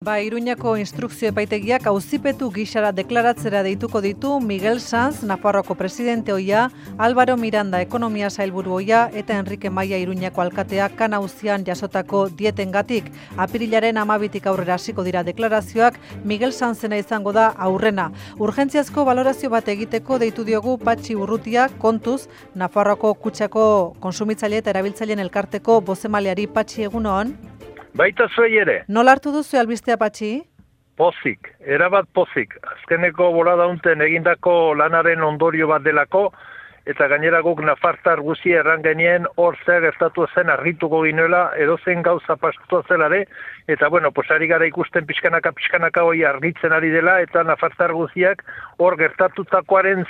Iruñako instrukzio epaitegiak auzipetu gisara deklaratzera deituko ditu Miguel Sanz, Nafarroako presidente ohia, Álvaro Miranda ekonomia sailburu ohia eta Enrique Maia Iruñako alkatea kanauzian jasotako dietengatik. Apirilaren 12tik aurrera hasiko dira deklarazioak, Miguel Sanzena izango da aurrena. Urgentziazko balorazio bat egiteko deitu diogu Patxi Urrutia, kontuz, Nafarroako kutxako konsumitzaile eta erabiltzaileen elkarteko bozemaleari. Patxi, egunon? Baita zuei ere. Nola hartu duzu albistea, Patxi? Pozik, erabat pozik. Azkeneko bolada unten egindako lanaren ondorio bat delako, eta gainera guk nafartar guzia erran genien hor zer gertatu zen argituko ginuela, edozen gauza pastu zelare, eta ari gara ikusten pixkanaka hori argitzen ari dela, eta nafartar guziak hor gertatutakoaren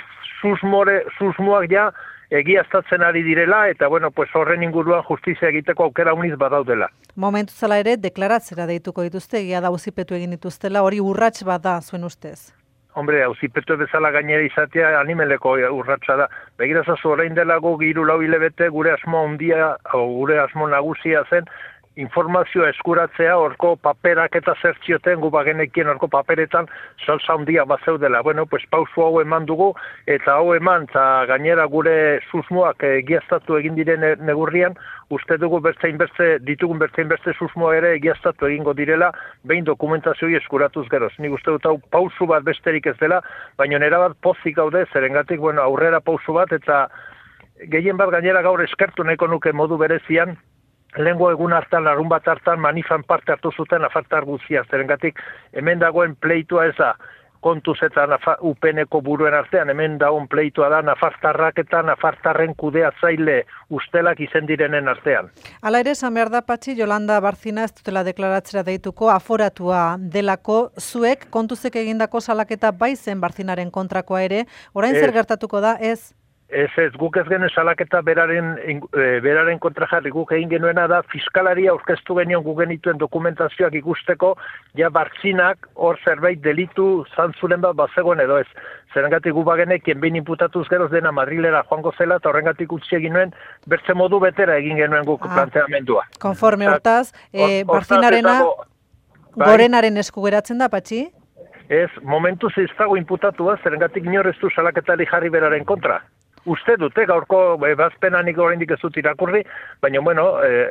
susmoak ja egiaztatzen ari direla, eta horren inguruan justizia egiteko aukera uniz badaudela. Momentu zela ere, deklaratzera deituko dituzte, egia da auzipetu egin dituztela, hori urrats bat da zuen ustez? Hombre, auzipetu bezala gainera izatea animeleko urratsa da. Begirazazu orain dela guk 3-4 hilabete gure asmo handia, gure asmo nagusia zen, informazioa eskuratzea, horko paperak eta zertzioten gu bagenekien horko paperetan salsa handia bazeudela. Pausu hau eman dugu, eta hau eman, eta gainera gure susmoak egiaztatu egin diren negurrian, uste dugu ditugun bertzein susmoa ere egiaztatu egingo direla, behin dokumentazioi eskuratuz geroz. Nik uste dut hau pausu bat besterik ez dela, baina nera bat pozik gaude, zerengatik aurrera pausu bat, eta gehien bat gainera gaur eskertu nahiko nuke modu berezian, lehengo egun hartan, larun bat hartan, manifan parte hartu zuten nafartar guzia. Zerengatik, hemen dagoen pleitua ez da, kontuz eta UPN-eko buruen artean, hemen dagoen pleitua da nafartarrak eta nafartarren kudeatzaile ustelak izen direnen artean. Hala ere, esan behar da, Patxi, Yolanda Barcina ez dutela deklaratzera deituko, aforatua delako, zuek kontuzek egindako salaketa bai zen Barcinaren kontrakoa ere, orain zer gertatuko da, ez? Ez, guk ez genen salaketa beraren kontra jarri, guk egin genuena da, fiskalaria aurkeztu genion guk genituen dokumentazioak ikusteko, ja Bartzinak hor zerbait delitu zantzulen bat bazegoen edo ez. Zerengatik gu bagenekien behin inputatuz geroz dena Madrilera joango zela, eta horrengatik utzi egin nuen, bertze modu betera egin genuen guk planteamendua. Konforme hortaz, Barcinarena gorenaren esku geratzen da, Patxi? Ez, momentuz ez dago inputatua, zerengatik inorreztu salaketari jarri beraren kontra. Uste dute, gaurko bazpenanik oraindik ez dut irakurri, baina,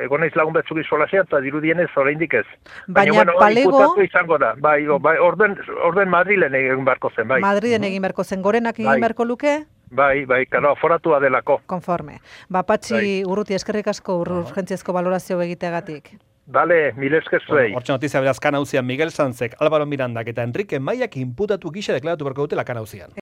egon naiz lagun batzuk izolazia, eta dirudienez oraindik ez. Baina palego... Imputatu izango da, orden Madrilen egin beharko zen, bai. Madrilen egin beharko zen, gorenak egin beharko luke? Bai, aforatua delako. Konforme. Patxi Urruti, eskerrik asko urgentziazko balorazio egiteagatik. Bale, mil esker zuei. Hortxe notizia beraz kanauzian Miguel Sanzek, Álvaro Mirandak eta Enrique Maiak inputatu gisa deklaratu beharko dute la kanauzian.